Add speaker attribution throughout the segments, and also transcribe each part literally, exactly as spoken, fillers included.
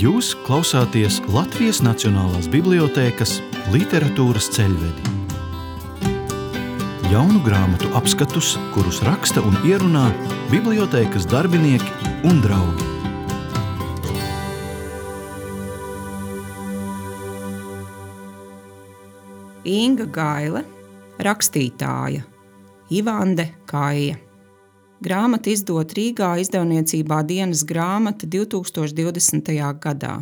Speaker 1: Jūs klausāties Latvijas Nacionālās bibliotēkas literatūras ceļvedi. Jaunu grāmatu apskatus, kurus raksta un ierunā bibliotēkas darbinieki un draugi.
Speaker 2: Inga Gaile, rakstītāja, Ivande Kaija. Grāmata izdot Rīgā izdevniecībā Dienas grāmata divtūkstoš divdesmitajā gadā.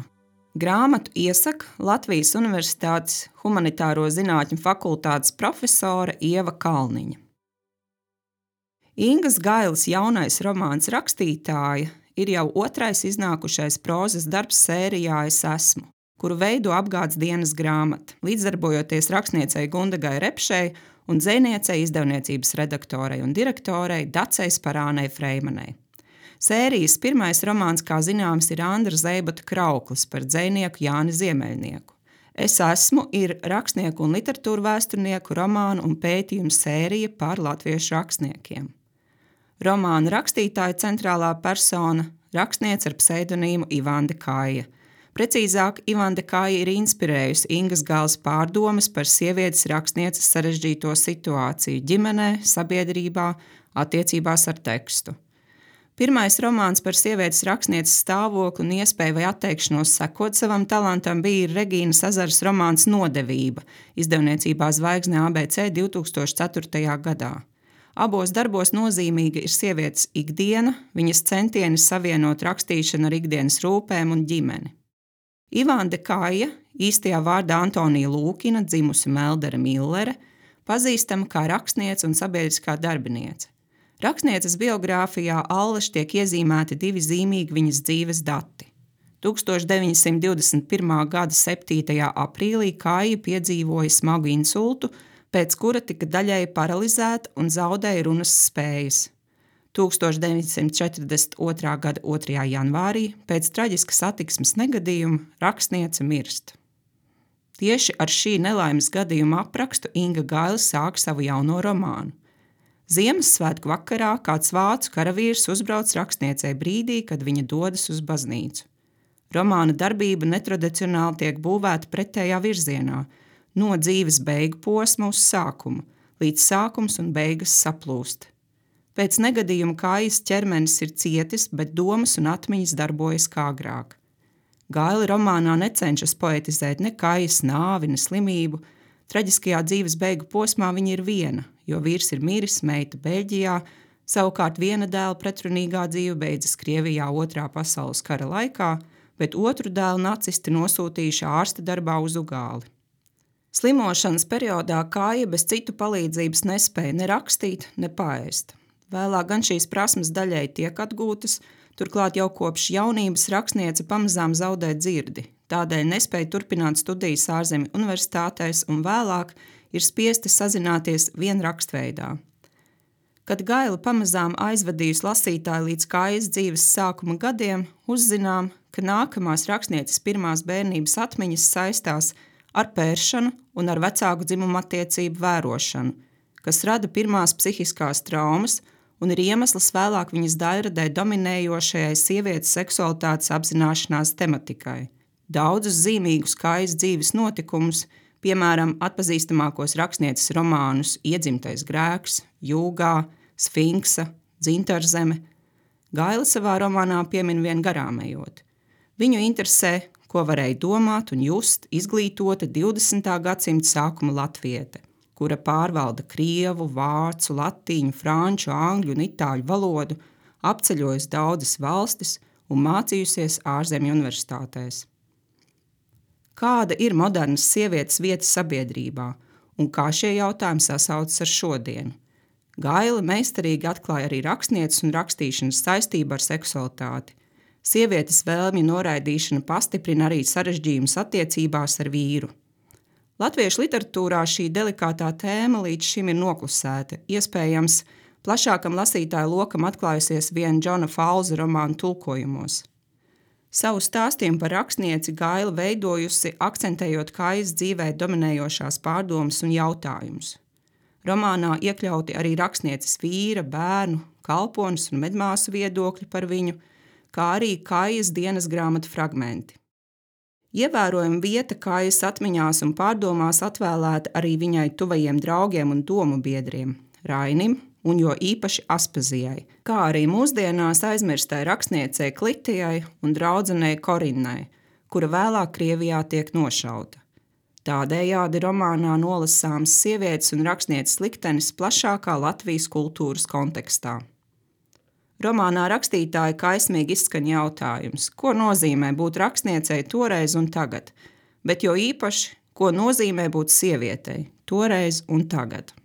Speaker 2: Grāmatu iesaka Latvijas Universitātes Humanitāro zinātņu fakultātes profesore Ieva Kalniņa. Ingas Gailes jaunais romāns Rakstītāja ir jau otrais iznākušais prózas darbs sērijā Es esmu, kuru veido Apgādes Dienas grāmata, līdzdarbojoties rakstniecei Gundagai Repšei un dzejniecei, izdevniecības redaktorei un direktorei Dacei Sparānei Freimanei. Sērijas pirmais romāns, kā zināms, ir Andra Zeibota Krauklis par dzejnieku Jāni Ziemeļnieku. Es esmu ir rakstnieku un literatūru vēsturnieku romānu un pētījumu sērija par latviešu rakstniekiem. Romāna rakstītāja centrālā persona – rakstniece ar pseidonīmu Ivande Kaija. Precīzāk, Ivande Kaija ir inspirējusi Ingas Gailes pārdomas par sievietes rakstnieces sarežģīto situāciju ģimenē, sabiedrībā, attiecībās ar tekstu. Pirmais romāns par sievietes rakstnieces stāvokli un iespēju vai atteikšanos sekot savam talantam bija Regīnas Azaras romāns Nodevība, izdevniecībā Zvaigzne A B C divtūkstoš ceturtajā gadā. Abos darbos nozīmīga ir sievietes ikdiena, viņas centieni savienot rakstīšanu ar ikdienas rūpēm un ģimeni. Ivande Kaija, īstajā vārdā Antonija Lūkina, dzimusi Meldere Millere, pazīstama kā rakstniece un sabiedriskā darbiniece. Rakstnieces biogrāfijā allaž tiek iezīmēti divi zīmīgi viņas dzīves dati. tūkstoš deviņsimt divdesmit pirmā gada septītajā aprīlī Kaija piedzīvoja smagu insultu, pēc kura tika daļēji paralizēta un zaudēja runas spējas. tūkstoš deviņsimt četrdesmit otrā gada otrajā janvārī pēc traģiska satiksmes negadījuma rakstniece mirst. Tieši ar šī nelaimes gadījuma aprakstu Inga Gaile sāk savu jauno romānu. Ziemassvētku vakarā kāds vācu karavīrs uzbrauc rakstniecei brīdī, kad viņa dodas uz baznīcu. Romāna darbība netradicionāli tiek būvēta pretējā virzienā, no dzīves beigu posma uz sākumu, līdz sākums un beigas saplūst. Pēc negadījuma Kaijas ķermenis ir cietis, bet domas un atmiņas darbojas kā agrāk. Gaile romānā necenšas poetizēt ne Kaijas nāvi, ne slimību. Traģiskajā dzīves beigu posmā viņa ir viena, jo vīrs ir miris, meita Beļģijā, savukārt viena dēla pretrunīgā dzīve beidzas Krievijā otrā pasaules kara laikā, bet otru dēlu nacisti nosūtījuši ārsta darbā uz Ugāli. Slimošanas periodā Kaija bez citu palīdzības nespēja ne rakstīt, ne paēst. Vēlāk gan šīs prasmes daļai tiek atgūtas, turklāt jau kopš jaunības rakstniece pamazām zaudē dzirdi, tādēļ nespēja turpināt studijas ārzemju universitātēs un vēlāk ir spiesta sazināties vien rakstveidā. Kad Gaile pamazām aizvadījusi lasītāju līdz Kaijas dzīves sākuma gadiem, uzzinām, ka nākamās rakstnieces pirmās bērnības atmiņas saistās ar pēršanu un ar vecāku dzimumu attiecību vērošanu, kas rada pirmās psihiskās traumas un ir iemesls vēlāk viņas daļradē dominējošajai sievietes seksualitātes apzināšanās tematikai. Daudzus zīmīgus Kaijas dzīves notikumus, piemēram, atpazīstamākos rakstnieces romānus Iedzimtais grēks, Jūgā, Sfinksa, Dzintarzeme, Gaile savā romānā piemin vien garām ejot. Viņu interesē, ko varēja domāt un just izglītota divdesmitā gadsimta sākuma latviete, kura pārvalda krievu, vācu, latīņu, franču, angļu un itāļu valodu, apceļojas daudzas valstis un mācījusies ārzemju universitātēs. Kāda ir modernas sievietes vieta sabiedrībā un kā šie jautājumi sasaucas ar šodienu? Gaile meistarīgi atklāja arī rakstnieces un rakstīšanas saistību ar seksualitāti. Sievietes vēlmju noraidīšana pastiprina arī sarežģījumus attiecībās ar vīru. Latviešu literatūrā šī delikātā tēma līdz šim ir noklusēta, iespējams, plašākam lasītāju lokam atklājusies vien Džona Falza romānu tulkojumos. Savu stāstījumu par rakstnieci Gaile veidojusi, akcentējot Kaijas dzīvē dominējošās pārdomas un jautājumus. Romānā iekļauti arī rakstnieces vīra, bērnu, kalpones un medmāsu viedokļi par viņu, kā arī Kaijas dienas grāmatu fragmenti. Ievērojama vieta kājas atmiņās un pārdomās atvēlēta arī viņai tuvajiem draugiem un domu biedriem – Rainim un jo īpaši Aspazijai, kā arī mūsdienās aizmirstai rakstniecei Klitijai un draudzenei Korinnai, kura vēlāk Krievijā tiek nošauta. Tādējādi romānā nolasāms sievietes un rakstnieces liktenis plašākā Latvijas kultūras kontekstā. Romānā rakstītāja kaismīgi izskan jautājums, ko nozīmē būt rakstniecei toreiz un tagad, bet jo īpaši, ko nozīmē būt sievietei toreiz un tagad.